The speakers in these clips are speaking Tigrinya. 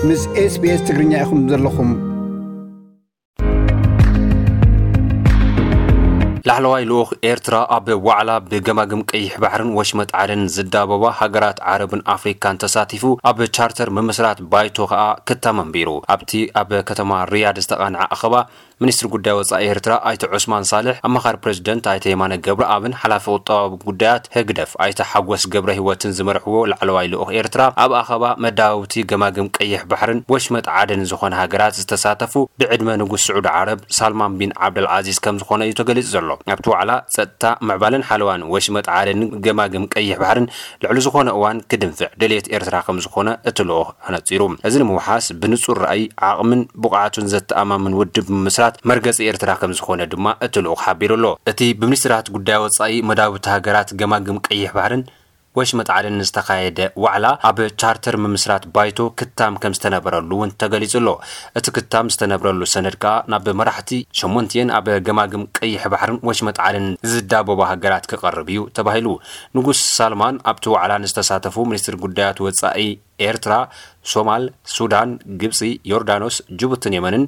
ምስ SBS ትግርኛ ኢኹም ዘለኹም። ላዕለዋይ ልኡኽ ኤርትራ ኣብ ዋዕላ ብገማግም ቀይሕ ባሕርን ወሽመጥ ዓደን ዝዳበባ ሃገራት ዓረብን ኣፍሪካን ተሳቲፉ ኣብ ቻርተር ምምስራት ባይቶ ከኣ ክታም ኣንቢሩ። ኣብቲ ኣብ ከተማ ሪያድ ዝተቓንዐ ኣኸባ፣ ሚኒስትሪ ጉዳይ ወጻኢ ኤርትራ ኣይተ ዑስማን ሳልሕ፣ ኣማኻሪ ፕሬዚደንት ኣይተ የማነ ገብረኣብን ሓላፊ ቁጠባዊ ጉዳያት ህግደፍ ኣይተ ሓጎስ ገብረ ህይወትን ዝመርሕዎ ላዕለዋይ ልኡኽ ኤርትራ ኣብ ኣኸባ መዳውብቲ ገማግም ቀይሕ ባሕርን ወሽመጥ ዓደን ዝኾነ ሃገራት ዝተሳተፉ ብዕድመ ንጉስ ስዑዲ ዓረብ ሳልማን ቢን ዓብደልዓዚዝ ከም ዝኾነ እዩ ተገሊጹ ዘሎ። ኣብቲ ዋዕላ ጸጥታ፣ ምዕባለን ሓለዋን ወሽመጥ ዓደንን ገማግም ቀይሕ ባሕርን ልዕሊ ዝኾነ እዋን ክድንፍዕ ድልየት ኤርትራ ከም ዝኾነ እቲ ልኡኽ ኣነጺሩ። እዚ ንምውሓስ ብንጹር ራእይ፣ ዓቕምን ብቕዓቱን ዘተኣማምን ውድብ ምምስራት መርገጺ ኤርትራ ከም ዝኾነ ድማ እቲ ልኡኽ ሓቢሩ ኣሎ። እቲ ብሚኒስትራት ጉዳይ ወጻኢ መዳውብቲ ሃገራት ገማግም ቀይሕ ባሕርን ወሽመጥ ዓደን ዝተኻየደ ዋዕላ ኣብ ቻርተር ምምስራት ባይቶ ክታም ከም ዝተነበረሉ እውን ተገሊጹ ኣሎ። እቲ ክታም ዝተነብረሉ ሰነድ ከኣ ናብ መራሕቲ ሸሞንቲኤን ኣብ ገማግም ቀይሕ ባሕርን ወሽመጥ ዓደን ዝዳበባ ሃገራት ክቐርብ እዩ ተባሂሉ። ንጉስ ሳልማን ኣብቲ ዋዕላ ንዝተሳተፉ ሚኒስትር ጉዳያት ወጻኢ ኤርትራ፣ ሶማል፣ ሱዳን፣ ግብጺ፣ ዮርዳኖስ፣ ጅቡትን የመንን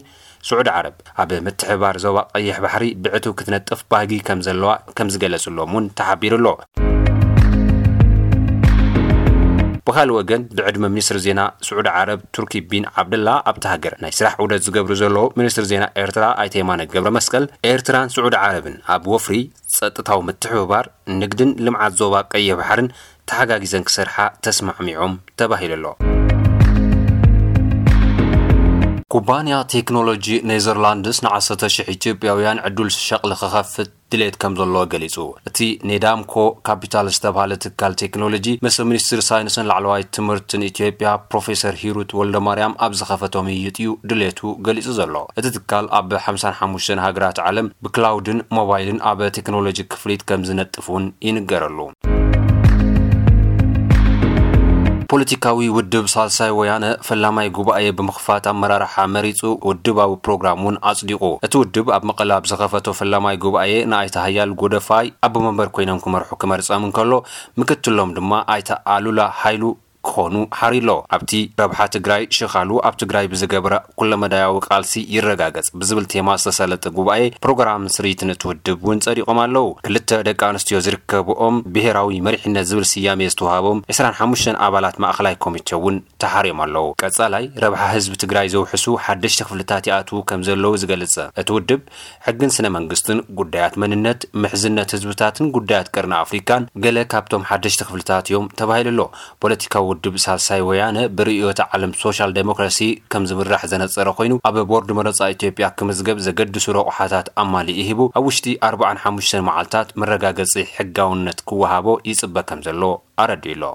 ስዑዲ ዓረብ ኣብ ምትሕብባር ዞባ ቀይሕ ባሕሪ ብዕቱብ ክትነጥፍ ባህጊ ከም ዘለዋ ከም ዝገለጽሎም እውን ተሓቢሩ ኣሎ። ብኻልእ ወገን፣ ብዕድመ ሚኒስትሪ ዜና ስዑዲ ዓረብ ቱርኪ ቢን ዓብደላ ኣብታ ሃገር ናይ ስራሕ ዑደት ዝገብሩ ዘለዉ ሚኒስትሪ ዜና ኤርትራ ኣይተ የማነ ገብረ መስቀል፣ ኤርትራን ስዑዲ ዓረብን ኣብ ወፍሪ፣ ጸጥታዊ ምትሕብባር፣ ንግድን ልምዓት ዞባ ቀይሕ ባሕርን ተሓጋጊዘን ክሰርሓ ተስማዕሚዖም ተባሂሉ ኣሎ። ኩባንያ ቴክኖሎጂ ኔዘርላንድስ ንዓሰርተ ሽሕ ኢትዮጵያውያን ዕዱል ሸቕሊ ክኸፍት ድሌት ከም ዘለዎ ገሊጹ። እቲ ኔዳምኮ ካፒታል ዝተባህለ ትካል ቴክኖሎጂ ምስ ሚኒስትር ሳይንስን ላዕለዋይ ትምህርትን ኢትዮጵያ ፕሮፌሰር ሂሩት ወልደማርያም ኣብ ዝኸፈቶ ምይይጥ እዩ ድሌቱ ገሊጹ ዘሎ። እቲ ትካል ኣብ ሓምሳን ሓሙሽተን ሃገራት ዓለም ብክላውድን ሞባይልን ኣብ ቴክኖሎጂ ክፍሊት ከም ዝነጥፍ እውን ይንገረሉ። ፖለቲካዊ ውድብ ሳልሳይ ወያነ ፈላማይ ጉባኤ ብምኽፋት ኣመራርሓ መሪጹ ውድባዊ ፕሮግራም እውን ኣጽዲቑ። እቲ ውድብ ኣብ መቐለ ኣብ ዝኸፈቶ ፈላማይ ጉባኤ ንኣይተ ሃያል ጎደፋይ ኣቦ መንበር ኮይኖም ክመርሑ ክመርጸም እንከሎ፣ ምክትሎም ድማ ኣይተ ኣሉላ ሃይሉ ክኾኑ ሓሪሎ። ኣብቲ ረብሓ ትግራይ ሽኻሉ ኣብ ትግራይ ብዝገበረ ኩለመዳያዊ ቃልሲ ይረጋገጽ ብዝብል ቴማ ዝተሰለጠ ጉባኤ ፕሮግራም ስርይትን እቲ ውድብ እውን ጸዲቖም ኣለዉ። ክልተ ደቂ ኣንስትዮ ዝርከብኦም ብሄራዊ መሪሕነት ዝብል ስያሜ ዝተዋሃቦም ዕስራን ሓሙሽተን ኣባላት ማእኸላይ ኮሚቴ እውን ተሓርዮም ኣለዉ። ቀጻላይ ረብሓ ህዝቢ ትግራይ ዘውሕሱ ሓደሽቲ ክፍልታት ይኣትዉ ከም ዘለዉ ዝገልጽ እቲ ውድብ፣ ሕግን ስነ መንግስትን፣ ጉዳያት መንነት፣ ምሕዝነት ህዝብታትን ጉዳያት ቀርኒ ኣፍሪካን ገለ ካብቶም ሓደሽቲ ክፍልታት እዮም ተባሂሉ ኣሎ። ፖለቲካዊ ውድብ ሳልሳይ ወያነ ብርእዮተ ዓለም ሶሻል ዴሞክራሲ ከም ዝምራሕ ዘነጸረ ኮይኑ፣ ኣብ ቦርድ መረጻ ኢትዮጵያ ክምዝገብ ዘገድሱ ረቑሓታት ኣማሊኡ ሂቡ፣ ኣብ ውሽጢ ኣርባዓን ሓሙሽተን መዓልታት መረጋገጺ ሕጋውነት ክወሃቦ ይጽበ ከም ዘሎ ኣረዲኡ ኣሎ።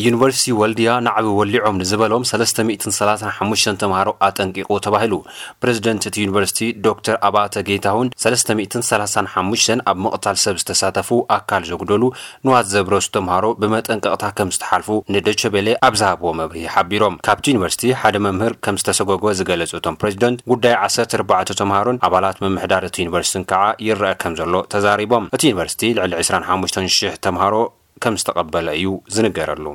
ዩኒቨርሲቲ ወልድያ ናዕቢ ወሊዖም ንዝበሎም ሰለስተ ሚእትን ሰላሳን ሓሙሽተን ተምሃሮ ኣጠንቂቑ ተባሂሉ። ፕሬዚደንት እቲ ዩኒቨርሲቲ ዶክተር ኣባተ ጌታሁን፣ ሰለስተ ሚእትን ሰላሳን ሓሙሽተን ኣብ ምቕታል ሰብ ዝተሳተፉ ኣካል ዘጉደሉ ንዋት ዘብረሱ ተምሃሮ ብመጠንቀቕታ ከም ዝተሓልፉ ንዶቸቤሌ ኣብ ዝሃብዎ መብርሂ ሓቢሮም። ካብቲ ዩኒቨርሲቲ ሓደ መምህር ከም ዝተሰጎጎ ዝገለጹ እቶም ፕሬዚደንት፣ ጉዳይ ዓሰርተ ኣርባዕተ ተምሃሮን ኣባላት ምምሕዳር እቲ ዩኒቨርሲቲን ከዓ ይረአ ከም ዘሎ ተዛሪቦም። እቲ ዩኒቨርሲቲ ልዕሊ ዕስራን ሓሙሽተን ሽሕ ተምሃሮ ከም ዝተቐበለ እዩ ዝንገረሉ።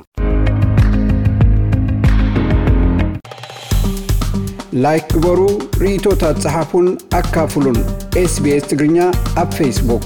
ላይክ ግበሩ፣ ርእይቶታት ጸሓፉን ኣካፍሉን። ኤስቢኤስ ትግርኛ ኣብ ፌስቡክ።